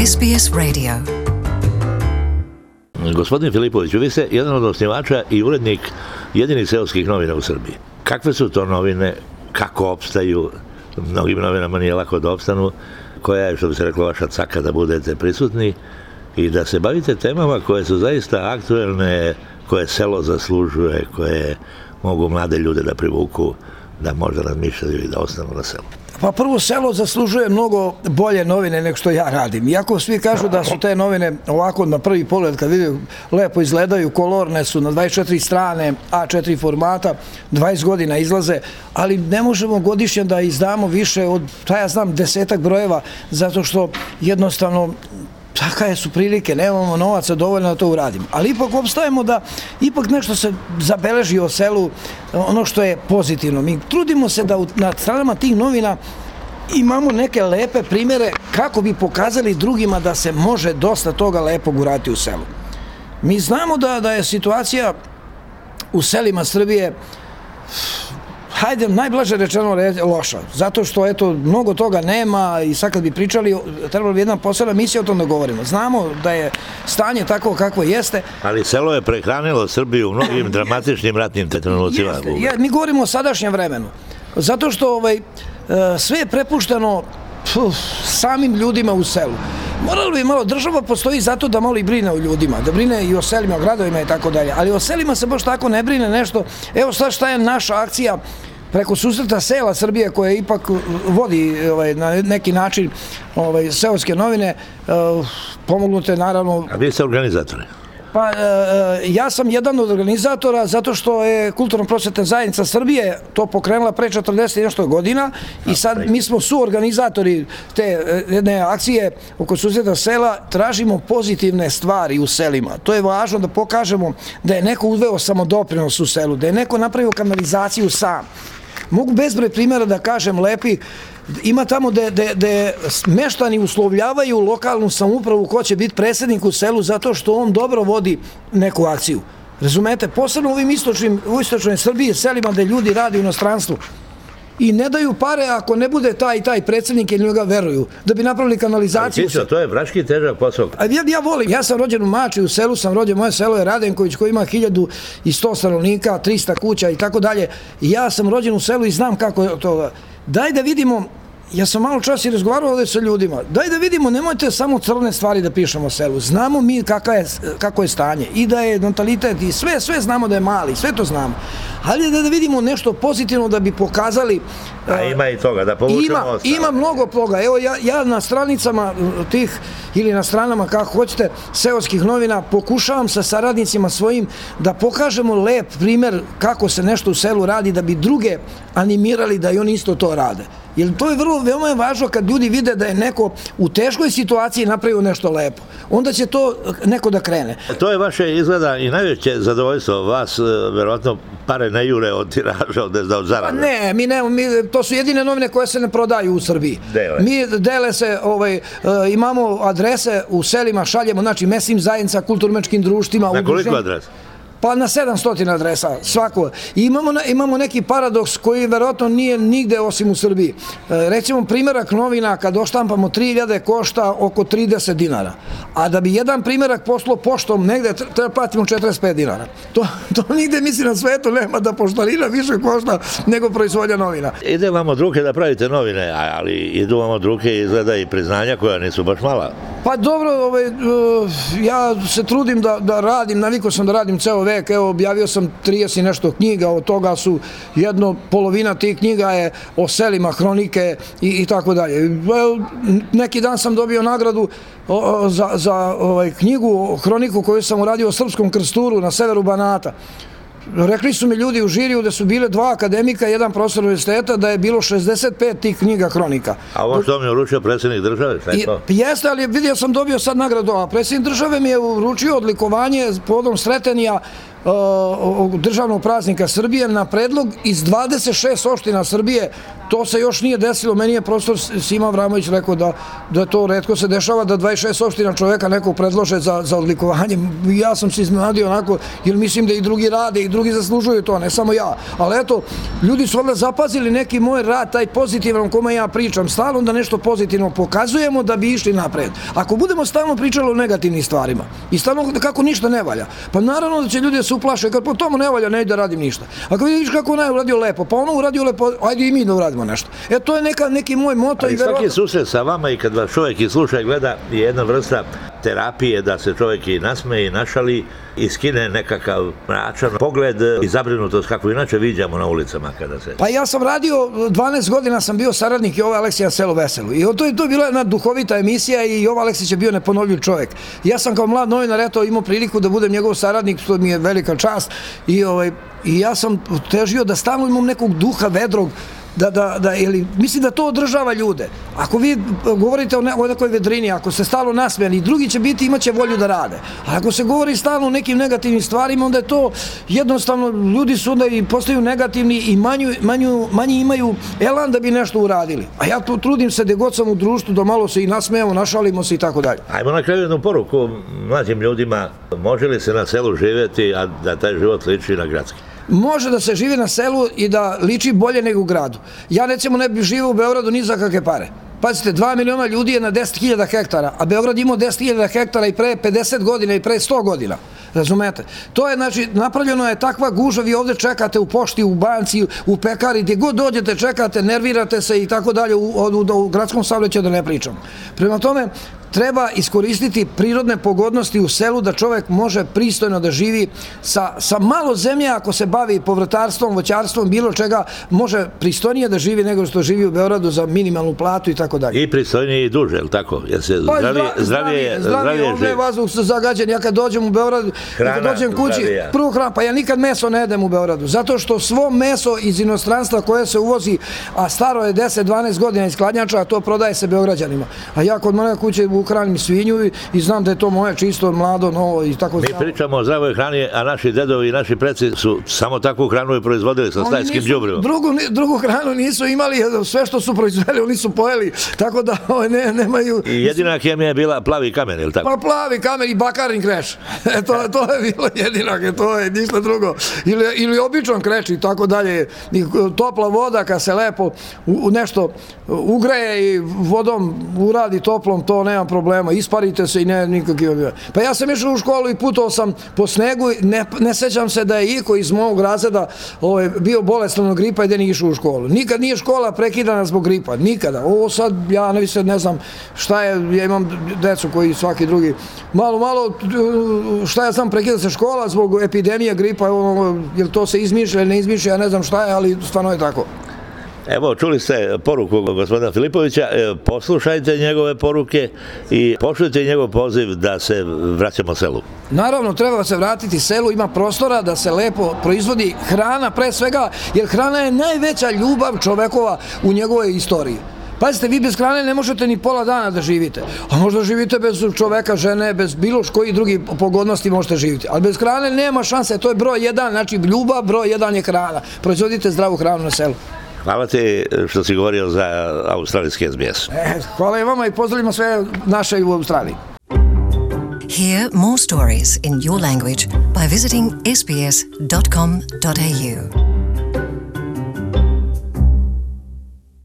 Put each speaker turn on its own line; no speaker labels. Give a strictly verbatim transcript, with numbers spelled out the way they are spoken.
S B S Radio.
Gospodin Filipović, vi ste jedan od osnivača i urednik jedinih seoskih novina u Srbiji. Kakve su to novine, kako opstaju? Mnogim novinama nije lako da opstanu. Koja je, što bi se reklo, vaša caka da budete prisutni i da se bavite temama koje su zaista aktuelne, koje selo zaslužuje, koje mogu mlade ljude da privuku, da možda razmišljaju i da ostanu na selu?
Pa prvo, selo zaslužuje mnogo bolje novine nego što ja radim. Iako svi kažu da su te novine ovako na prvi pogled, kad vidim, lepo izgledaju, kolorne su, na dvadeset četiri strane, A četiri formata, dvadeset godina izlaze, ali ne možemo godišnje da izdamo više od, šta ja znam, desetak brojeva, zato što jednostavno takve su prilike, nemamo novaca dovoljno da to uradimo. Ali ipak opstajemo da ipak nešto se zabeleži o selu, ono što je pozitivno. Mi trudimo se da na stranama tih novina imamo neke lepe primjere kako bi pokazali drugima da se može dosta toga lepog uraditi u selu. Mi znamo da, da je situacija u selima Srbije, hajde, najblaže rečeno loša, zato što, eto, mnogo toga nema i sad kad bi pričali, trebalo bi jedna posebna misija o tom da govorimo. Znamo da je stanje tako kakvo jeste.
Ali selo je prehranilo Srbiju u mnogim dramatičnim ratnim trenucima.
Jeste, mi govorimo o sadašnjem vremenu, zato što ovaj, sve je prepušteno puf, samim ljudima u selu. Moralo bi malo, država postoji zato da malo i brine o ljudima, da brine i o selima, o gradovima i tako dalje, ali o selima se baš tako ne brine nešto. Evo sad šta je naša akcija preko susreta sela Srbije, koja ipak vodi ovaj, na neki način ovaj, seoske novine, pomognute naravno.
A vi ste organizatori?
Pa, ja sam jedan od organizatora zato što je Kulturno-prosvetna zajednica Srbije to pokrenula pre četrdeset i nešto godina i sad mi smo suorganizatori te jedne akcije oko susreta sela, tražimo pozitivne stvari u selima. To je važno da pokažemo da je neko uveo samodoprinos u selu, da je neko napravio kanalizaciju sam. Mogu bezbroj primjera da kažem lepi. Ima tamo gde meštani uslovljavaju lokalnu samoupravu ko će biti predsjednik u selu zato što on dobro vodi neku akciju. Razumete? Posebno u ovim istočnim, u istočnoj Srbiji, selima gde ljudi radi u inostranstvu. I ne daju pare ako ne bude taj i taj predsjednik jer njega veruju, da bi napravili kanalizaciju.
Ali Tićo, to je vraški težak posao.
Ja, ja volim, ja sam rođen u Mači, u selu sam rođen, moje selo je Radenković koji ima hiljadu i sto stanovnika, trista kuća i tako dalje. Ja sam rođen u selu i znam kako je to. Daj da vidimo, ja sam malo čas i razgovarao ovdje sa ljudima, daj da vidimo, nemojte samo crne stvari da pišemo o selu, znamo mi kako je stanje i da je natalitet i sve, sve znamo da je mali, sve to znamo, ali da vidimo nešto pozitivno da bi pokazali.
A ima i toga, da povučemo ostalo.
Ima mnogo toga, evo ja na stranicama tih, ili na stranama kako hoćete, seoskih novina, pokušavam sa saradnicima svojim da pokažemo lep primjer kako se nešto u selu radi, da bi druge animirali da i oni isto to rade. Jer to je vrlo, veoma je važno kad ljudi vide da je neko u teškoj situaciji napravio nešto lepo. Onda će to neko da krene.
To je vaše izgleda i najveće zadovoljstvo vas, verovatno pare ne jure od tiraža, od zarade.
Ne, mi ne, to su jedine novine koje se ne prodaju u Srbiji.
Dele.
Mi dele se, imamo adrese u selima, šaljemo, znači mesnim zajednica, kulturno-umetničkim društvima.
Na koliko adresa?
Pa na sedamsto adresa, svako. I imamo neki paradoks koji verovatno nije nigde osim u Srbiji. Recimo, primjerak novina kad oštampamo tri hiljade košta oko trideset dinara. A da bi jedan primjerak poslao poštom negde, treba platimo četrdeset pet dinara. To nigde, misli, na svetu nema da poštarina više košta nego proizvodnja novina.
Ide vam od ruke da pravite novine, ali idu vam od ruke izgleda i priznanja koja nisu baš mala.
Pa dobro, ja se trudim da radim, navikao sam da radim ceo vek, evo, objavio sam trideset i nešto knjiga, od toga su jedno, polovina tih knjiga je o selima, hronike i tako dalje. Neki dan sam dobio nagradu za knjigu, hroniku koju sam uradio o Srpskom Krsturu na severu Banata. Rekli su mi ljudi u žiriju da su bile dva akademika i jedan profesor univerziteta, da je bilo šezdeset pet tih knjiga hronika.
A ovo što mi je uručio predsjednik države?
Jeste, ali vidio sam, dobio sad nagradu, a predsjednik države mi je uručio odlikovanje povodom Sretenija državnog praznika Srbije na predlog iz dvadeset šest opština Srbije. To se još nije desilo. Meni je profesor Sima Avramović rekao da, da to retko se dešava, da dvadeset šest opština čoveka nekog predlože za, za odlikovanje. Ja sam se iznenadio onako, jer mislim da i drugi rade i drugi zaslužuju to, ne samo ja. Ali eto, ljudi su onda zapazili neki moj rad, taj pozitivan o kome ja pričam, stalno da nešto pozitivno pokazujemo da bi išli napred. Ako budemo stalno pričali o negativnim stvarima i stalno kako ništa ne valja, pa naravno da će ljudi se uplaše, kad po tomu ne valja, ne ide da radim ništa. Ako vidiš kako on je uradio lepo, pa ono uradio lepo, ajde i mi da uradimo nešto. E, to je neka, neki moj moto.
Ali svaki susret sa vama i kad vas čovjek i sluša i gleda je jedna vrsta terapije da se čovjek i nasmeje i našali i skine nekakav mračan pogled i zabrinutost kako inače viđamo na ulicama kada se...
Pa ja sam radio, dvanaest godina sam bio saradnik i Jove Aleksića na Selu Veselu. I to je to bila jedna duhovita emisija i Jova Aleksić je bio neponovljiv čovjek. Ja sam kao mlad novinar eto imao priliku da budem njegov saradnik, što mi je velika čast. I, ovaj, i ja sam težio da stalno imam nekog duha vedrog, da, da, da, ili, mislim da to održava ljude. Ako vi govorite o, ne, o nekoj vedrini, ako se stalno nasmejani, drugi će biti, imaće volju da rade. A ako se govori stalno o nekim negativnim stvarima, onda je to jednostavno, ljudi su onda i postaju negativni i manju, manju, manji imaju elan da bi nešto uradili. A ja tu trudim se da god sam u društvu, da malo se i nasmejamo, našalimo se i tako dalje.
Ajmo na kraju jednu poruku mlađim ljudima. Može li se na selu živjeti, a da taj život liči na gradski?
Može da se živi na selu i da liči bolje nego u gradu. Ja recimo ne bih živio u Beogradu ni za kakve pare. Pazite, dva miliona ljudi je na deset hiljada hektara, a Beograd imao deset hiljada hektara i pre pedeset godina i pre sto godina. Razumete? To je, znači, napravljeno je takva gužva, vi ovde čekate u pošti, u banci, u pekari, gdje god dođete, čekate, nervirate se i tako dalje, u, u, u gradskom saobraćaju da ne pričam. Prema tome, treba iskoristiti prirodne pogodnosti u selu da čovjek može pristojno da živi sa, sa malo zemlje, ako se bavi povrtarstvom, voćarstvom, bilo čega, može pristojnije da živi nego što živi u Beogradu za minimalnu platu i tako dalje.
I pristojnije i duže, je li tako? Jer se
pa,
zdravije, zdravije, zdravije
ovdje je vazduh zagađen. Ja kad dođem u Beograd, kad dođem kući, prvo hrana, pa ja nikad meso ne jedem u Beogradu, zato što svo meso iz inostranstva koje se uvozi, a staro je deset dvanaest godina iz hladnjača, a to prodaje se Beograđanima. A ja kod moje kuće hranim svinju i, i znam da je to moje čisto, mlado, novo i tako.
Mi pričamo o zdravoj hrani, a naši dedovi i naši preci su samo takvu hranu i proizvodili sa stajskim đubrivom.
Drugu, drugu hranu nisu imali, sve što su proizveli oni su pojeli, tako da ne, nemaju...
I jedina hemija je bila plavi kamen, ili tako?
Pa plavi kamen i bakarni kreš. E, to, to je bilo jedinak, to je ništa drugo. Ili, ili običan kreš i tako dalje. I topla voda kad se lepo u, u nešto ugreje i vodom uradi toplom, to nema problema, isparite se i ne nikakve. Pa ja sam išao u školu i putovao sam po snegu, ne, ne sećam se da je iko iz mog razreda ovaj, bio bolestan od gripa i da nije išao u školu. Nikad nije škola prekidana zbog gripa, nikada. Ovo sad, ja ne, ne znam šta je, ja imam decu koji svaki drugi, malo, malo, šta ja znam, prekida se škola zbog epidemije gripa, jer to se izmišlja ili ne izmišlja, ja ne znam šta je, ali stvarno je tako.
Evo, čuli ste poruku gospodina Filipovića, poslušajte njegove poruke i pošljite njegov poziv da se vraćamo selu.
Naravno, treba se vratiti selu, ima prostora da se lepo proizvodi hrana pre svega, jer hrana je najveća ljubav čovekova u njegovoj istoriji. Pazite, vi bez hrane ne možete ni pola dana da živite, a možda živite bez čoveka, žene, bez bilo koji drugi pogodnosti možete živjeti, ali bez hrane nema šanse, to je broj jedan, znači ljubav, broj jedan je hrana. Proizvodite zdravu hranu na selu.
Hvala ti što si govorio za australijski S B S.
E, hvala i vama i pozdravljamo sve naše u Australiji.
Hear more stories in your language by visiting s b s dot com dot a u.